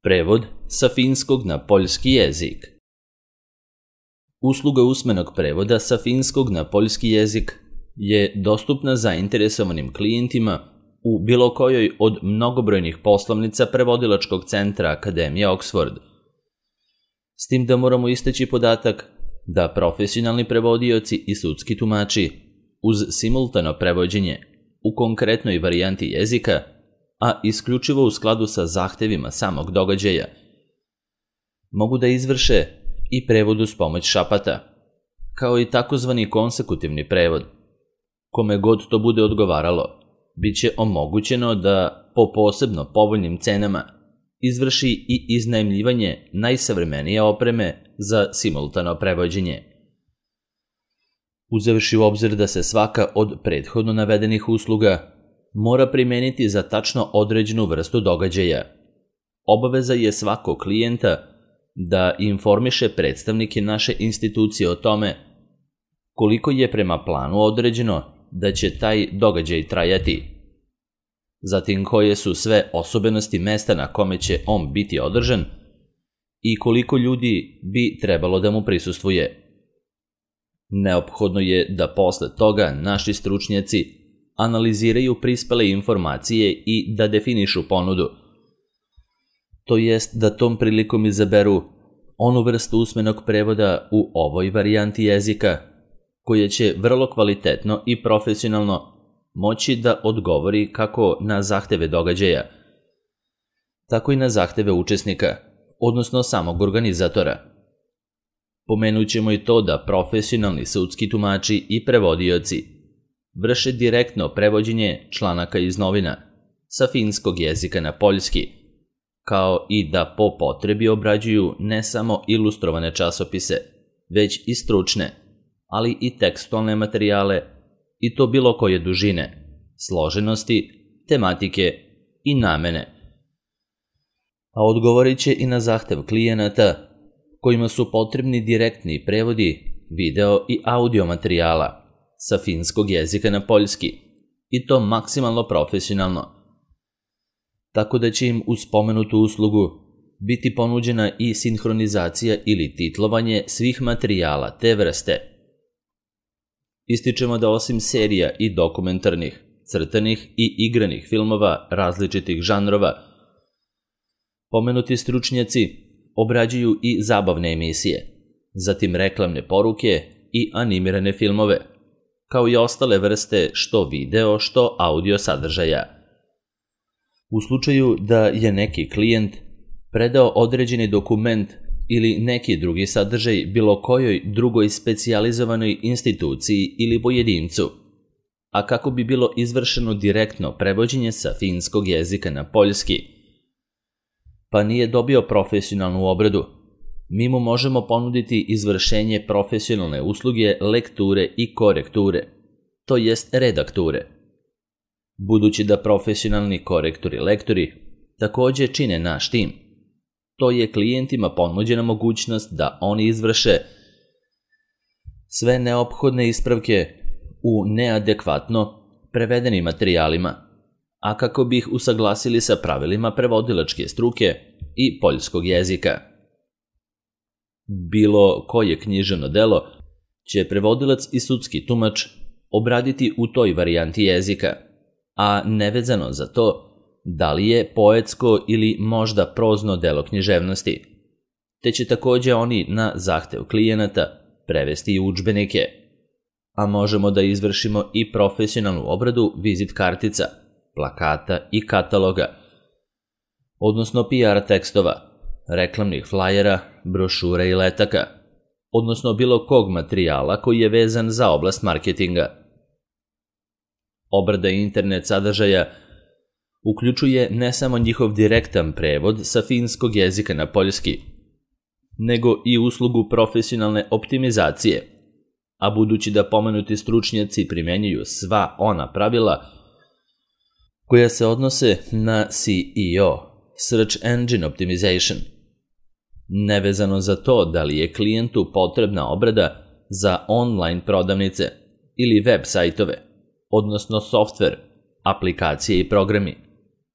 Prevod sa finskog na poljski jezik. Usluga usmenog prevoda sa finskog na poljski jezik je dostupna zainteresovanim klijentima u bilo kojoj od mnogobrojnih poslovnica prevodilačkog centra Akademije Oxford. S tim da moramo istaći podatak da profesionalni prevodioci i sudski tumači uz simultano prevođenje u konkretnoj varijanti jezika, a isključivo u skladu sa zahtevima samog događaja, mogu da izvrše i prevod uz pomoć šapata, kao i takozvani konsekutivni prevod. Kome god to bude odgovaralo, bit će omogućeno da po posebno povoljnim cenama izvrši i iznajmljivanje najsavremenije opreme za simultano prevođenje. Uzevši u obzir da se svaka od prethodno navedenih usluga mora primeniti za tačno određenu vrstu događaja, obaveza je svakog klijenta da informiše predstavnike naše institucije o tome koliko je prema planu određeno da će taj događaj trajati, zatim koje su sve osobenosti mesta na kome će on biti održan i koliko ljudi bi trebalo da mu prisustvuje. Neophodno je da posle toga naši stručnjaci analiziraju prispele informacije i da definišu ponudu, to jest da tom prilikom izaberu onu vrstu usmenog prevoda u ovoj varijanti jezika koja će vrlo kvalitetno i profesionalno moći da odgovori kako na zahteve događaja, tako i na zahteve učesnika, odnosno samog organizatora. Pomenut ćemo i to da profesionalni sudski tumači i prevodioci vrše direktno prevođenje članaka iz novina sa finskog jezika na poljski, kao i da po potrebi obrađuju ne samo ilustrovane časopise, već i stručne, ali i tekstualne materijale, i to bilo koje dužine, složenosti, tematike i namene. A odgovorit će i na zahtev klijenata kojima su potrebni direktni prevodi video i audio materijala sa finskog jezika na poljski, i to maksimalno profesionalno, tako da će im uz spomenutu uslugu biti ponuđena i sinhronizacija ili titlovanje svih materijala te vrste. Ističemo da osim serija i dokumentarnih, crtanih i igranih filmova različitih žanrova, pomenuti stručnjaci obrađuju i zabavne emisije, zatim reklamne poruke i animirane filmove, kao i ostale vrste što video, što audio sadržaja. U slučaju da je neki klijent predao određeni dokument ili neki drugi sadržaj bilo kojoj drugoj specijalizovanoj instituciji ili pojedincu, a kako bi bilo izvršeno direktno prevođenje sa finskog jezika na poljski, pa nije dobio profesionalnu obradu, mi mu možemo ponuditi izvršenje profesionalne usluge lekture i korekture, to jest redakture. Budući da profesionalni korektori i lektori takođe čine naš tim, to je klijentima ponuđena mogućnost da oni izvrše sve neophodne ispravke u neadekvatno prevedenim materijalima, a kako bi ih usaglasili sa pravilima prevodilačke struke i poljskog jezika. Bilo koje književno delo će prevodilac i sudski tumač obraditi u toj varijanti jezika, a nevezano za to da li je poetsko ili možda prozno delo književnosti, te će takođe oni na zahtev klijenata prevesti i udžbenike, a možemo da izvršimo i profesionalnu obradu vizit kartica, plakata i kataloga, odnosno PR tekstova, reklamnih flajera, brošura i letaka, odnosno bilo kog materijala koji je vezan za oblast marketinga. Obrada internet sadržaja uključuje ne samo njihov direktan prevod sa finskog jezika na poljski, nego i uslugu profesionalne optimizacije, a budući da pomenuti stručnjaci primenjuju sva ona pravila koja se odnose na SEO, Search Engine Optimization, nevezano za to da li je klijentu potrebna obrada za online prodavnice ili web sajtove, odnosno softver, aplikacije i programi,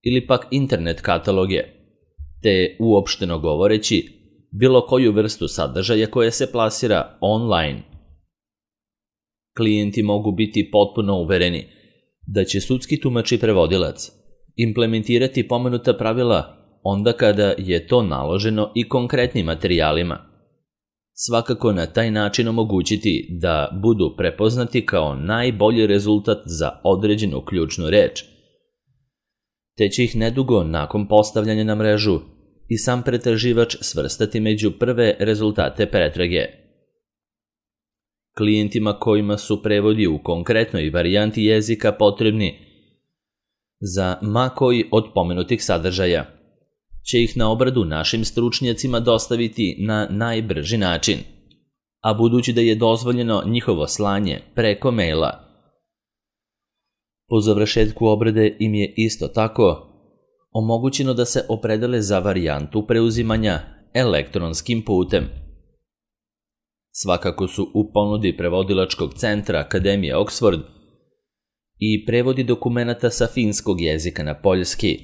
ili pak internet kataloge, te uopšteno govoreći bilo koju vrstu sadržaja koja se plasira online. Klijenti mogu biti potpuno uvereni da će sudski tumač i prevodilac implementirati pomenuta pravila onda kada je to naloženo i konkretnim materijalima. Svakako na taj način omogućiti da budu prepoznati kao najbolji rezultat za određenu ključnu reč, te će ih nedugo nakon postavljanja na mrežu i sam pretraživač svrstati među prve rezultate pretrage. Klijentima kojima su prevodi u konkretnoj varijanti jezika potrebni za ma koji od pomenutih sadržaja će ih na obradu našim stručnjacima dostaviti na najbrži način, a budući da je dozvoljeno njihovo slanje preko maila, po završetku obrade im je isto tako omogućeno da se opredele za varijantu preuzimanja elektronskim putem. Svakako su u ponudi prevodilačkog centra Akademije Oxford i prevodi dokumenata sa finskog jezika na poljski,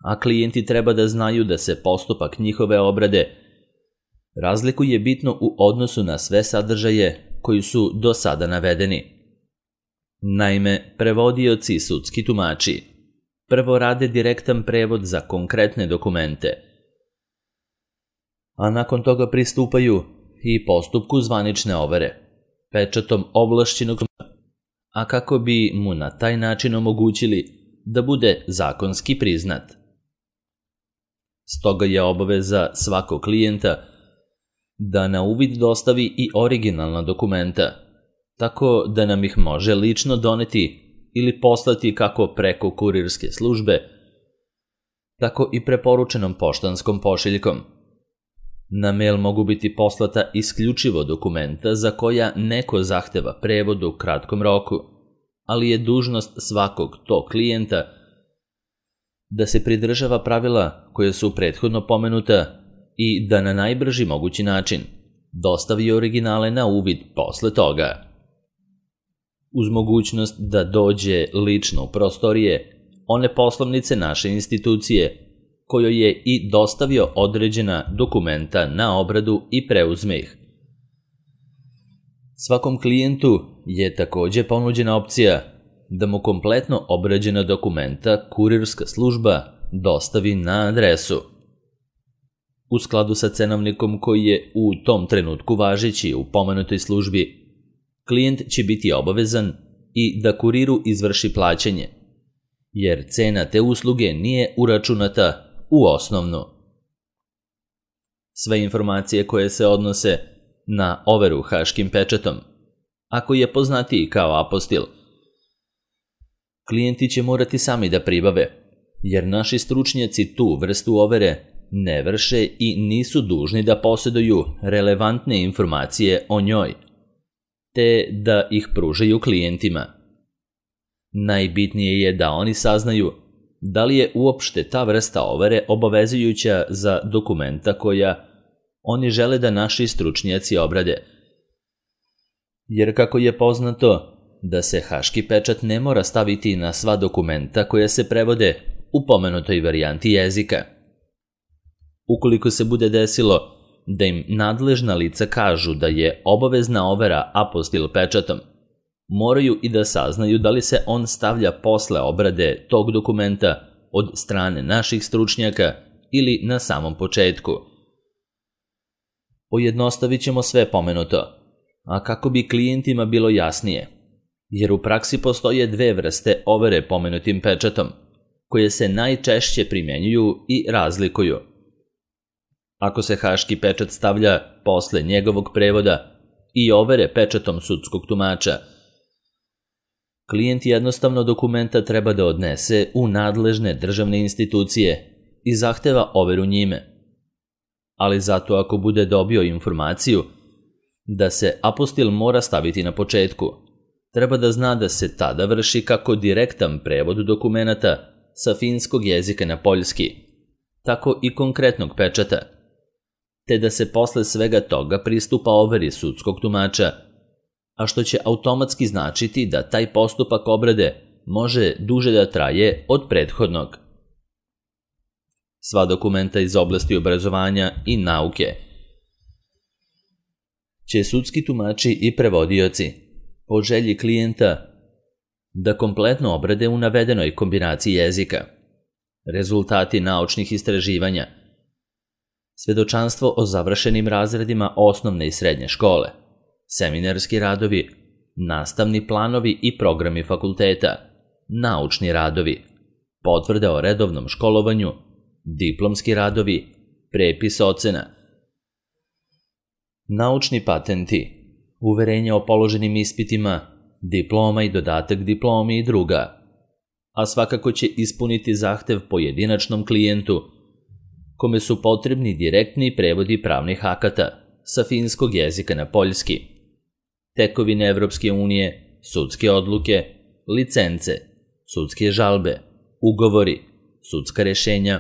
a klijenti treba da znaju da se postupak njihove obrade razlikuje bitno u odnosu na sve sadržaje koji su do sada navedeni. Naime, prevodioci i sudski tumači prvo rade direktan prevod za konkretne dokumente, a nakon toga pristupaju i postupku zvanične overe, pečatom ovlašćenog, a kako bi mu na taj način omogućili da bude zakonski priznat. Stoga je obaveza svakog klijenta da na uvid dostavi i originalna dokumenta, tako da nam ih može lično doneti ili poslati kako preko kurirske službe, tako i preporučenom poštanskom pošiljkom. Na mail mogu biti poslata isključivo dokumenta za koja neko zahteva prevod u kratkom roku, ali je dužnost svakog tog klijenta da se pridržava pravila koje su prethodno pomenuta i da na najbrži mogući način dostavi originale na uvid posle toga. Uz mogućnost da dođe lično u prostorije one poslovnice naše institucije kojoj je i dostavio određena dokumenta na obradu i preuzme ih. Svakom klijentu je takođe ponuđena opcija da mu kompletno obrađena dokumenta kurirska služba dostavi na adresu. U skladu sa cenovnikom koji je u tom trenutku važeći u pomenutoj službi, klijent će biti obavezan i da kuriru izvrši plaćanje, jer cena te usluge nije uračunata u osnovnu. Sve informacije koje se odnose na overu haškim pečatom, ako je poznatiji kao apostil, klijenti će morati sami da pribave, jer naši stručnjaci tu vrstu overe ne vrše i nisu dužni da posjeduju relevantne informacije o njoj, te da ih pružaju klijentima. Najbitnije je da oni saznaju da li je uopšte ta vrsta overe obavezujuća za dokumenta koja oni žele da naši stručnjaci obrade. Jer kako je poznato da se haški pečat ne mora staviti na sva dokumenta koja se prevode u pomenutoj varijanti jezika. Ukoliko se bude desilo da im nadležna lica kažu da je obavezna overa apostil pečatom, moraju i da saznaju da li se on stavlja posle obrade tog dokumenta od strane naših stručnjaka ili na samom početku. Pojednostavit ćemo sve pomenuto, a kako bi klijentima bilo jasnije, jer u praksi postoje dve vrste overe pomenutim pečatom, koje se najčešće primjenjuju i razlikuju. Ako se haški pečat stavlja posle njegovog prevoda i overe pečatom sudskog tumača, klijent jednostavno dokumenta treba da odnese u nadležne državne institucije i zahteva overu njime. Ali zato ako bude dobio informaciju da se apostil mora staviti na početku, treba da zna da se tada vrši kako direktan prevod dokumenata sa finskog jezika na poljski, tako i konkretnog pečata, te da se posle svega toga pristupa overi sudskog tumača, a što će automatski značiti da taj postupak obrade može duže da traje od prethodnog. sva dokumenta iz oblasti obrazovanja i nauke će sudski tumači i prevodioci po želji klijenta da kompletno obrade u navedenoj kombinaciji jezika. Rezultati naučnih istraživanja, svedočanstvo o završenim razredima osnovne i srednje škole, seminarski radovi, nastavni planovi i programi fakulteta, naučni radovi, potvrde o redovnom školovanju, diplomski radovi, prepis ocena, naučni patenti, uverenja o položenim ispitima, diploma i dodatak diplomi i druga, a svakako će ispuniti zahtev pojedinačnom klijentu kome su potrebni direktni prevodi pravnih akata sa finskog jezika na poljski, tekovine Evropske unije, sudske odluke, licence, sudske žalbe, ugovori, sudska rešenja,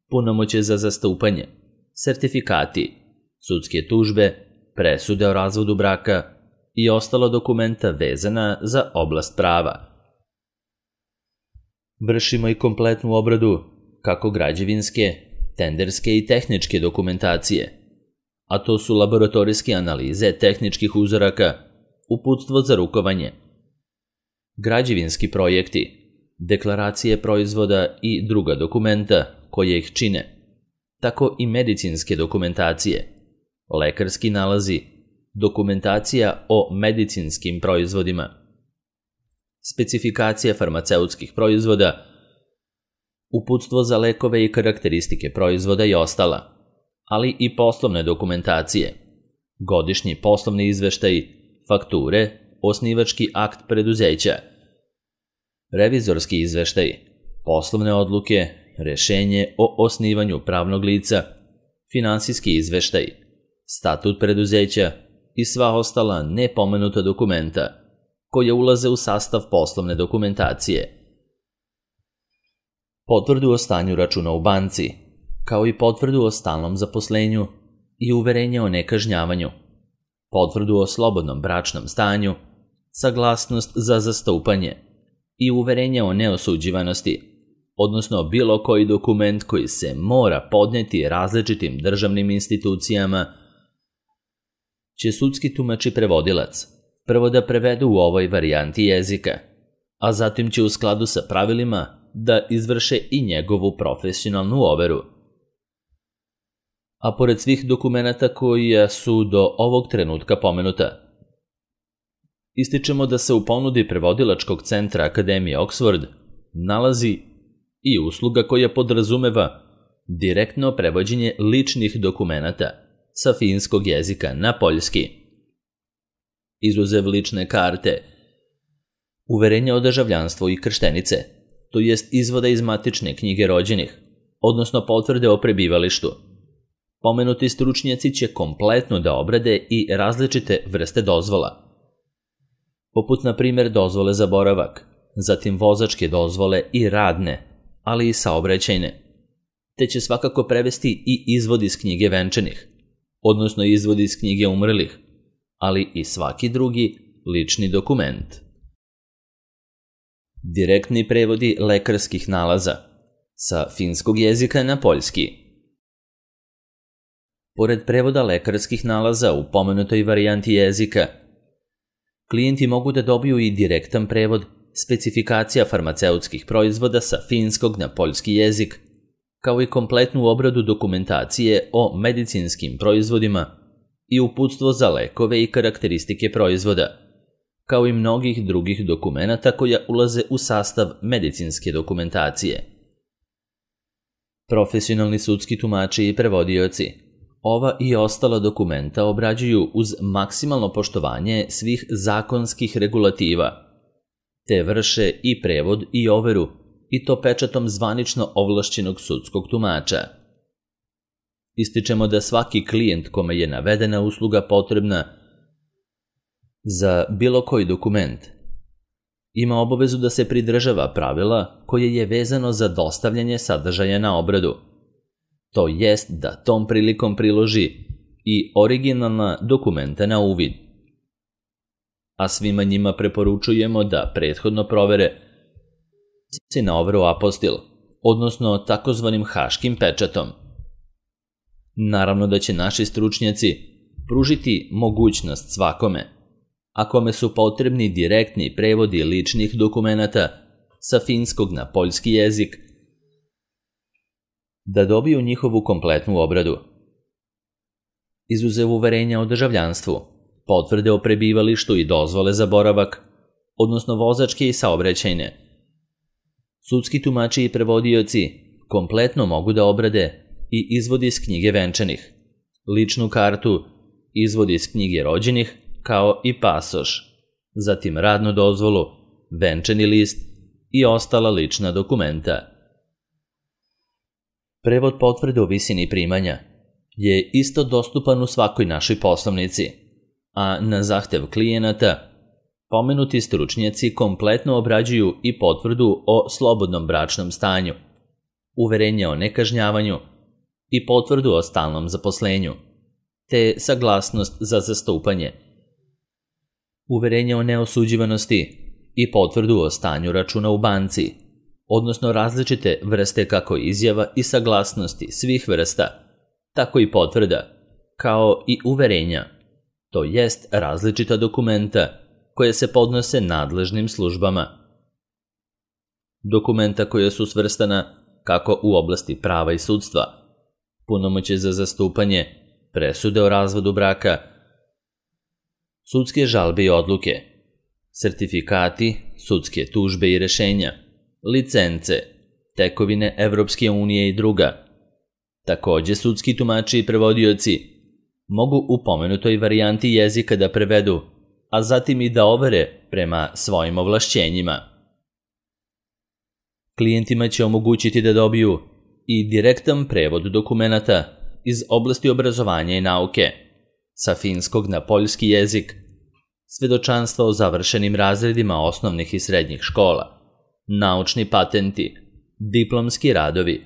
punomoćje za zastupanje, sertifikati, sudske tužbe, presude o razvodu braka i ostala dokumenta vezana za oblast prava. Vršimo i kompletnu obradu kako građevinske, tenderske i tehničke dokumentacije, a to su laboratorijske analize tehničkih uzoraka, uputstvo za rukovanje, građevinski projekti, deklaracije proizvoda i druga dokumenta koje ih čine, tako i medicinske dokumentacije, lekarski nalazi, dokumentacija o medicinskim proizvodima, specifikacija farmaceutskih proizvoda, uputstvo za lekove i karakteristike proizvoda i ostala, ali i poslovne dokumentacije, godišnji poslovni izveštaj, fakture, osnivački akt preduzeća, revizorski izveštaj, poslovne odluke, rešenje o osnivanju pravnog lica, finansijski izveštaj, statut preduzeća i sva ostala nepomenuta dokumenta koje ulaze u sastav poslovne dokumentacije. Potvrdu o stanju računa u banci, kao i potvrdu o stalnom zaposlenju i uverenje o nekažnjavanju, potvrdu o slobodnom bračnom stanju, saglasnost za zastupanje i uverenje o neosuđivanosti, odnosno bilo koji dokument koji se mora podneti različitim državnim institucijama, će sudski tumač i prevodilac prvo da prevedu u ovoj varijanti jezika, a zatim će u skladu sa pravilima da izvrše i njegovu profesionalnu overu. A pored svih dokumenata koja su do ovog trenutka pomenuta, ističemo da se u ponudi prevodilačkog centra Akademije Oxford nalazi i usluga koja podrazumeva direktno prevođenje ličnih dokumenata sa finskog jezika na poljski, izuzev lične karte, uverenja o državljanstvu i krštenice, to jest izvoda iz matične knjige rođenih, odnosno potvrde o prebivalištu. Pomenuti stručnjaci će kompletno da obrade i različite vrste dozvola, poput na primjer dozvole za boravak, zatim vozačke dozvole i radne, ali i saobraćajne, te će svakako prevesti i izvod iz knjige venčanih, odnosno izvod iz knjige umrlih, ali i svaki drugi lični dokument. Direktni prevodi lekarskih nalaza sa finskog jezika na poljski. Pored prevoda lekarskih nalaza u pomenutoj varijanti jezika, klijenti mogu da dobiju i direktan prevod specifikacija farmaceutskih proizvoda sa finskog na poljski jezik, kao i kompletnu obradu dokumentacije o medicinskim proizvodima i uputstvo za lekove i karakteristike proizvoda, kao i mnogih drugih dokumenata koja ulaze u sastav medicinske dokumentacije. Profesionalni sudski tumači i prevodioci ova i ostala dokumenta obrađuju uz maksimalno poštovanje svih zakonskih regulativa, te vrše i prevod i overu, i to pečatom zvanično ovlašćenog sudskog tumača. Ističemo da svaki klijent kome je navedena usluga potrebna za bilo koji dokument ima obavezu da se pridržava pravila koje je vezano za dostavljanje sadržaja na obradu, to jest da tom prilikom priloži i originalna dokumenta na uvid. A svima njima preporučujemo da prethodno provere na overu apostil, odnosno takozvanim haškim pečatom. Naravno da će naši stručnjaci pružiti mogućnost svakome, a kome su potrebni direktni prevodi ličnih dokumenata sa finskog na poljski jezik, da dobiju njihovu kompletnu obradu. Izuzev uverenja o državljanstvu, potvrde o prebivalištu i dozvole za boravak, odnosno vozačke i saobraćajne, sudski tumači i prevodioci kompletno mogu da obrade i izvod iz knjige venčanih, ličnu kartu, izvod iz knjige rođenih, kao i pasoš, zatim radnu dozvolu, venčani list i ostala lična dokumenta. Prevod potvrde o visini primanja je isto dostupan u svakoj našoj poslovnici, a na zahtev klijenata pomenuti stručnjaci kompletno obrađuju i potvrdu o slobodnom bračnom stanju, uverenje o nekažnjavanju i potvrdu o stalnom zaposlenju, te saglasnost za zastupanje, uverenje o neosuđivanosti i potvrdu o stanju računa u banci, odnosno različite vrste kako izjava i saglasnosti svih vrsta, tako i potvrda, kao i uverenja, to jest različita dokumenta koje se podnose nadležnim službama. Dokumenta koje su svrstana kako u oblasti prava i sudstva, punomoćje za zastupanje, presude o razvodu braka, sudske žalbe i odluke, sertifikati, sudske tužbe i rešenja, licence, tekovine Evropske unije i druga. Takođe, sudski tumači i prevodioci mogu u pomenutoj varijanti jezika da prevedu, a zatim i da overe prema svojim ovlašćenjima. Klijentima će omogućiti da dobiju i direktan prevod dokumenata iz oblasti obrazovanja i nauke, sa finskog na poljski jezik, svedočanstva o završenim razredima osnovnih i srednjih škola, naučni patenti, diplomski radovi,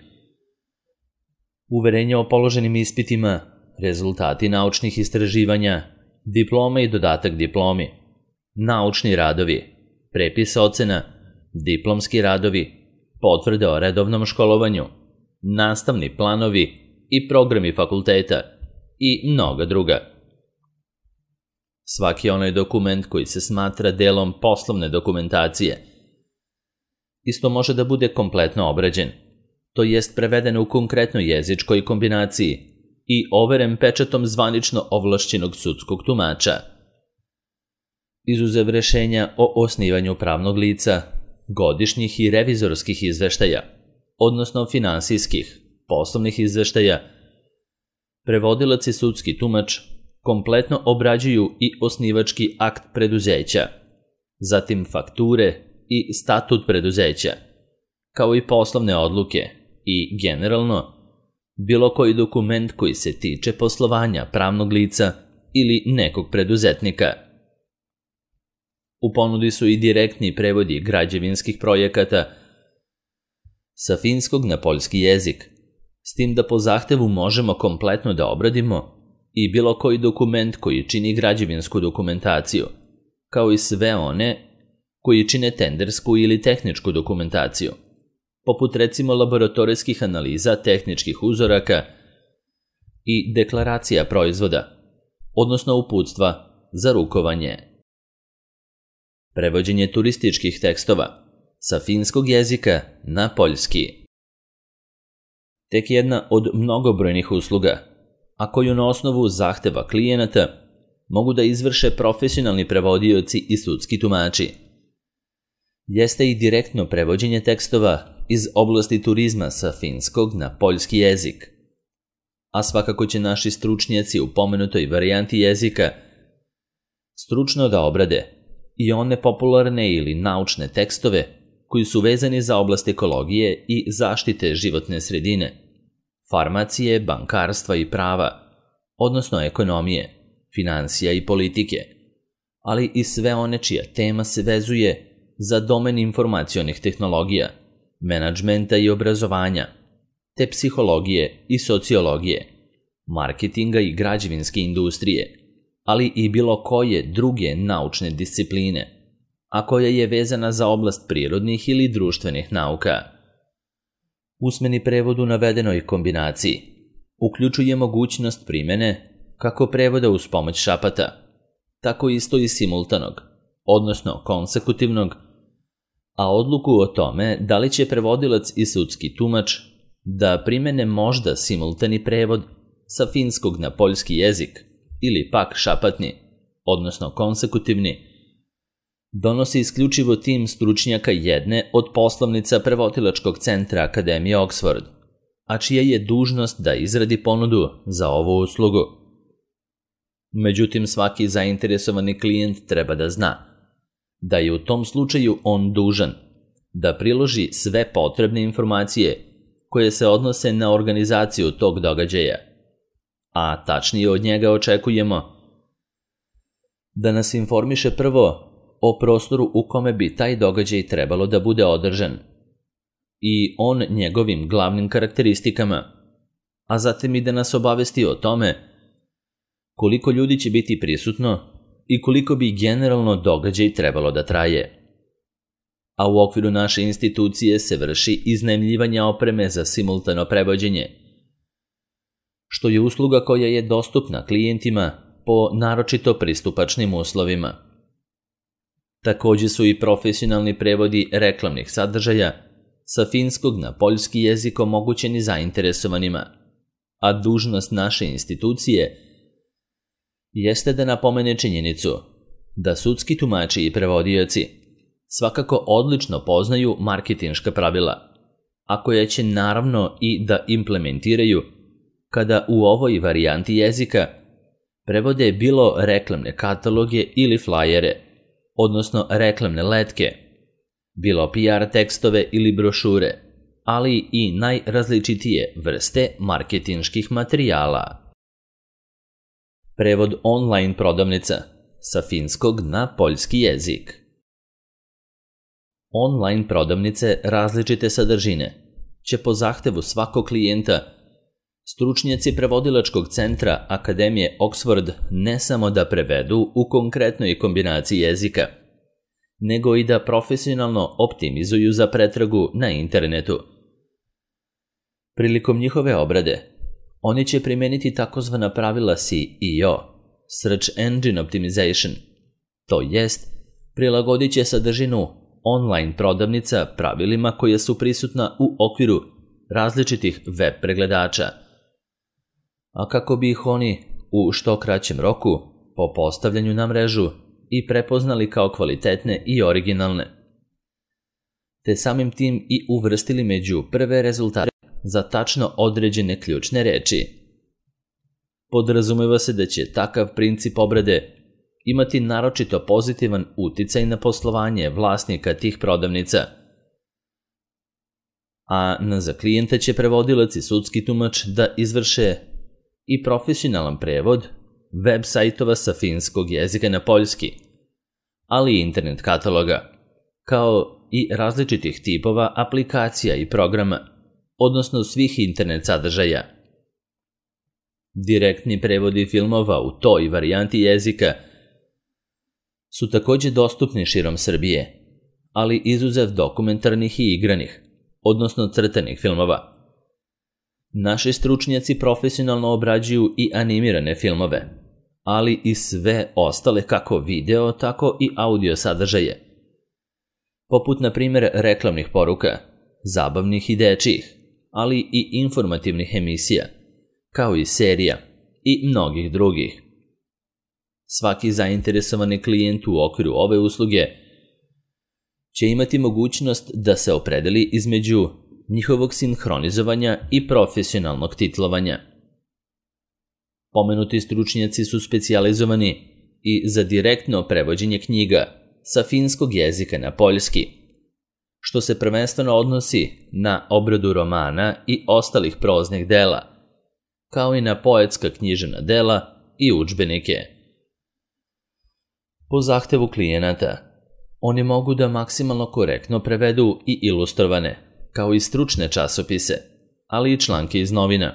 uverenja o položenim ispitima, rezultati naučnih istraživanja, diplome i dodatak diplomi, naučni radovi, prepis ocena, diplomski radovi, potvrde o redovnom školovanju, nastavni planovi i programi fakulteta i mnoga druga. Svaki onaj dokument koji se smatra delom poslovne dokumentacije isto može da bude kompletno obrađen, to jest preveden u konkretnoj jezičkoj kombinaciji i overen pečatom zvanično ovlašćenog sudskog tumača. Izuzev rešenja o osnivanju pravnog lica, godišnjih i revizorskih izveštaja, odnosno finansijskih, poslovnih izveštaja, prevodilac i sudski tumač kompletno obrađuju i osnivački akt preduzeća, zatim fakture i statut preduzeća, kao i poslovne odluke i, generalno, bilo koji dokument koji se tiče poslovanja pravnog lica ili nekog preduzetnika. U ponudi su i direktni prevodi građevinskih projekata sa finskog na poljski jezik, s tim da po zahtevu možemo kompletno da obradimo i bilo koji dokument koji čini građevinsku dokumentaciju, kao i sve one koji čine tendersku ili tehničku dokumentaciju, poput recimo laboratorijskih analiza tehničkih uzoraka i deklaracija proizvoda, odnosno uputstva za rukovanje. Prevođenje turističkih tekstova sa finskog jezika na poljski. Tek jedna od mnogobrojnih usluga, a koju na osnovu zahteva klijenata mogu da izvrše profesionalni prevodioci i sudski tumači, jeste i direktno prevođenje tekstova iz oblasti turizma sa finskog na poljski jezik. A svakako će naši stručnjaci u pomenutoj varijanti jezika stručno da obrade i one popularne ili naučne tekstove koji su vezani za oblast ekologije i zaštite životne sredine, farmacije, bankarstva i prava, odnosno ekonomije, finansija i politike, ali i sve one čija tema se vezuje za domen informacionih tehnologija, menadžmenta i obrazovanja, te psihologije i sociologije, marketinga i građevinske industrije, ali i bilo koje druge naučne discipline, a koja je vezana za oblast prirodnih ili društvenih nauka. Usmeni prevod u navedenoj kombinaciji uključuje mogućnost primjene kako prevoda uz pomoć šapata, tako isto i simultanog, odnosno konsekutivnog, a odluku o tome da li će prevodilac i sudski tumač da primene možda simultani prevod sa finskog na poljski jezik ili pak šapatni, odnosno konsekutivni, donosi isključivo tim stručnjaka jedne od poslovnica prevodilačkog centra Akademije Oxford, a čija je dužnost da izradi ponudu za ovu uslugu. Međutim, svaki zainteresovani klijent treba da zna da je u tom slučaju on dužan da priloži sve potrebne informacije koje se odnose na organizaciju tog događaja, a tačnije od njega očekujemo da nas informiše prvo o prostoru u kome bi taj događaj trebalo da bude održan i on njegovim glavnim karakteristikama, a zatim i da nas obavesti o tome koliko ljudi će biti prisutno i koliko bi generalno događaj trebalo da traje. A u okviru naše institucije se vrši iznajmljivanje opreme za simultano prevođenje, što je usluga koja je dostupna klijentima po naročito pristupačnim uslovima. Takođe su i profesionalni prevodi reklamnih sadržaja sa finskog na poljski jezik omogućeni zainteresovanima, a dužnost naše institucije jeste da napomene činjenicu da sudski tumači i prevodioci svakako odlično poznaju marketinška pravila, a koje će naravno i da implementiraju kada u ovoj varijanti jezika prevode bilo reklamne kataloge ili flajere, odnosno reklamne letke, bilo PR tekstove ili brošure, ali i najrazličitije vrste marketinških materijala. Prevod online prodavnica sa finskog na poljski jezik. Online prodavnice različite sadržine će po zahtevu svakog klijenta stručnjaci prevodilačkog centra Akademije Oxford ne samo da prevedu u konkretnoj kombinaciji jezika, nego i da profesionalno optimizuju za pretragu na internetu. Prilikom njihove obrade, oni će primeniti takozvana pravila SEO, Search Engine Optimization, to jest prilagodit će sadržinu online prodavnica pravilima koja su prisutna u okviru različitih web pregledača, a kako bi ih oni u što kraćem roku po postavljanju na mrežu i prepoznali kao kvalitetne i originalne, te samim tim i uvrstili među prve rezultate za tačno određene ključne reči. Podrazumeva se da će takav princip obrade imati naročito pozitivan uticaj na poslovanje vlasnika tih prodavnica, a za klijenta će prevodilac i sudski tumač da izvrše i profesionalan prevod web sajtova sa finskog jezika na poljski, ali i internet kataloga, kao i različitih tipova aplikacija i programa, odnosno svih internet sadržaja. Direktni prevodi filmova u toj varijanti jezika su takođe dostupni širom Srbije, ali izuzev dokumentarnih i igranih, odnosno crtanih filmova. Naši stručnjaci profesionalno obrađuju i animirane filmove, ali i sve ostale kako video, tako i audio sadržaje, poput na primjer reklamnih poruka, zabavnih i dečijih, ali i informativnih emisija, kao i serija i mnogih drugih. Svaki zainteresovani klijent u okviru ove usluge će imati mogućnost da se opredeli između njihovog sinhronizovanja i profesionalnog titlovanja. Pomenuti stručnjaci su specijalizovani i za direktno prevođenje knjiga sa finskog jezika na poljski, što se prvenstveno odnosi na obradu romana i ostalih proznih dela, kao i na poetska književna dela i udžbenike. Po zahtevu klijenata, oni mogu da maksimalno korektno prevedu i ilustrovane, kao i stručne časopise, ali i članke iz novina.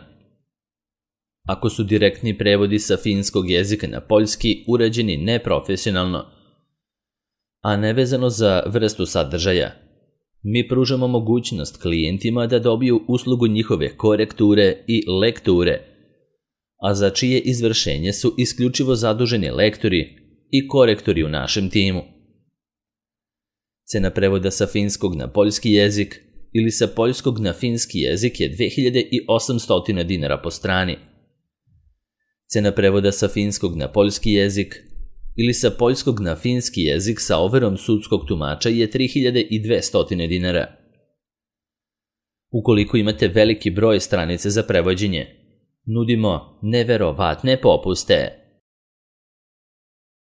Ako su direktni prevodi sa finskog jezika na poljski urađeni neprofesionalno, a nevezano za vrstu sadržaja, Mi pružamo mogućnost klijentima da dobiju uslugu njihove korekture i lekture, a za čije izvršenje su isključivo zaduženi lektori i korektori u našem timu. Cena prevoda sa finskog na poljski jezik ili sa poljskog na finski jezik je 2800 dinara po strani. Cena prevoda sa finskog na poljski jezik ili sa poljskog na finski jezik sa overom sudskog tumača je 3200 dinara. Ukoliko imate veliki broj stranica za prevođenje, nudimo neverovatne popuste.